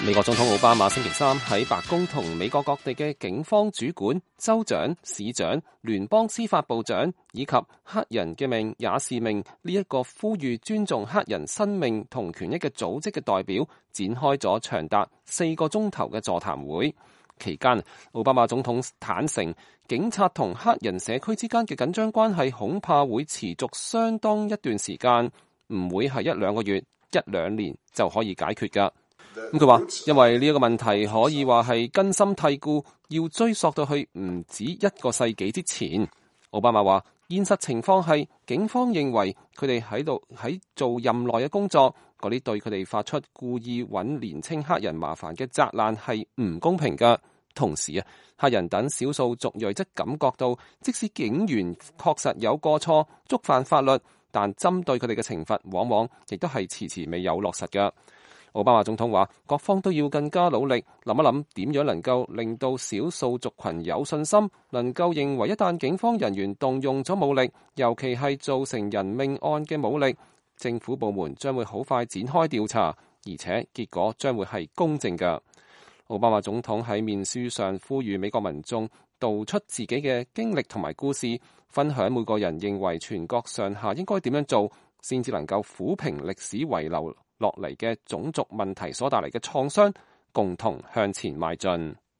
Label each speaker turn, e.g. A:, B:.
A: 美國總統奧巴馬星期三喺白宮同美國各地嘅警方主管、州長、市長、聯邦司法部長以及黑人嘅命也是命呢一個呼籲尊重黑人生命同權益嘅組織嘅代表展開咗長達4個鐘頭嘅座談會。期間，奧巴馬總統坦承，警察同黑人社區之間嘅緊張關係恐怕會持續相當一段時間，唔會係1-2個月、1-2年就可以解決㗎。咁佢話，因為呢一個問題可以話係根深蒂固，要追溯到去唔止1個世紀之前。奧巴馬話，現實情況係警方認為佢哋喺做任內嘅工作，嗰啲對佢哋發出故意揾年青黑人麻煩嘅責難係唔公平㗎。同時啊，黑人等少數族裔則感覺到，即使警員確實有過錯，觸犯法律，但針對佢哋嘅懲罰往往亦都係遲遲未有落實㗎。奧巴馬總統話，各方都要更加努力，諗一諗點樣能夠令到少數族群有信心，能夠認為一旦警方人員動用咗武力，尤其係造成人命案嘅武力，政府部門將會好快展開調查，而且結果將會係公正嘅。奧巴馬總統喺面書上呼籲美國民眾道出自己嘅經歷同埋故事，分享每個人認為全國上下應該點樣做，先至能夠撫平歷史遺留落嚟嘅種族問題所帶嚟嘅創傷，共同向前邁進。